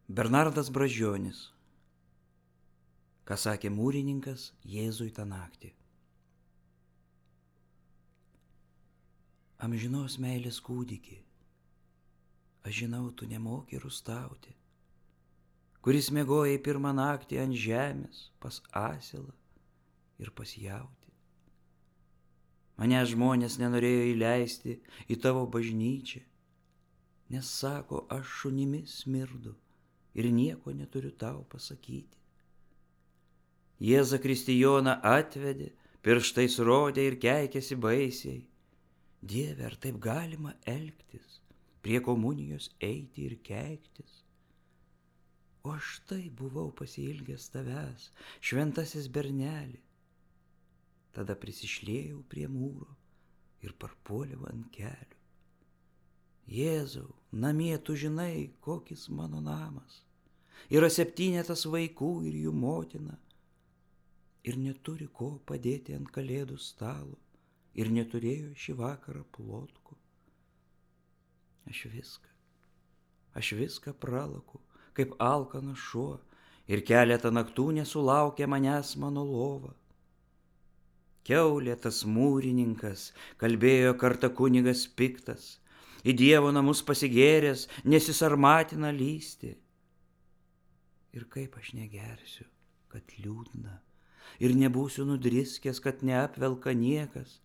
Bernardas Brazdžionis. Ką sakė mūrininkas Jėzui tą naktį. Amžinos meilės kūdiki, aš žinau, tu nemoki rustauti, kuris miegojai pirmą naktį ant žemės pas asilą ir pas jautį. Mane žmonės nenorėjo įleisti į tavo bažnyčią, nes sako, aš šunimis smirdu ir nieko neturiu tau pasakyti. Jėzą Kristijoną atvedė, pirštais rodė ir keikėsi baisiai. Dieve, ar taip galima elgtis, prie komunijos eiti ir keiktis? O aš tai buvau pasiilgęs tavęs, šventasis berneli. Tada prisišliejau prie mūro ir parpuoliau ant kelių. Jėzau, namie tu žinai, kokis mano namas. Yra 7 vaikų ir jų motina. Ir neturi ko padėti ant kalėdų stalo. Ir neturėjo šį vakarą plotkų. Aš viską pralaku, kaip alkanas šuo. Ir keletą naktų nesulaukia manęs mano lova. Kiaulė tas mūrininkas, kalbėjo kartą kunigas piktas. Į Dievo namus pasigėręs, nesisarmatina lysti. Ir kaip aš negersiu, kad liūdna, ir nebūsiu nudriskęs, kad neapvelka niekas,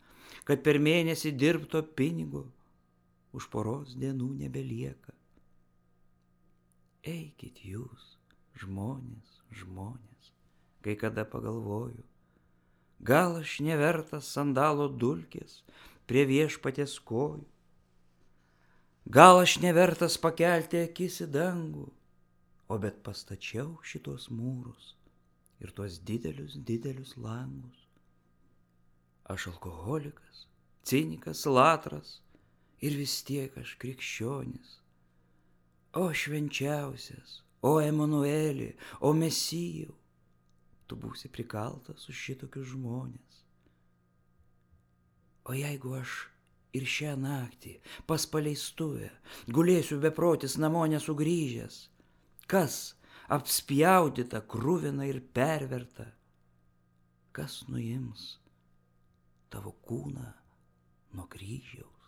kad per mėnesį dirbto pinigo už poros dienų nebelieka. Eikit jūs, žmonės, kai kada pagalvoju, gal aš nevertas sandalo dulkės prie viešpaties kojų, gal aš nevertas pakelti akis į dangų, o bet pastačiau šitos mūrus ir tuos didelius langus. Aš alkoholikas, cinikas, latras ir vis tiek aš krikščionis. O švenčiausias, o Emanueli, o Mesijau, tu būsi prikaltas už šitokius žmonės. O jeigu aš ir šią naktį pas paleistuvę gulėsiu beprotis namo nesugrįžęs, kas apspjaudyta, kruvina ir perverta, kas nuims tavo kūną nuo kryžiaus?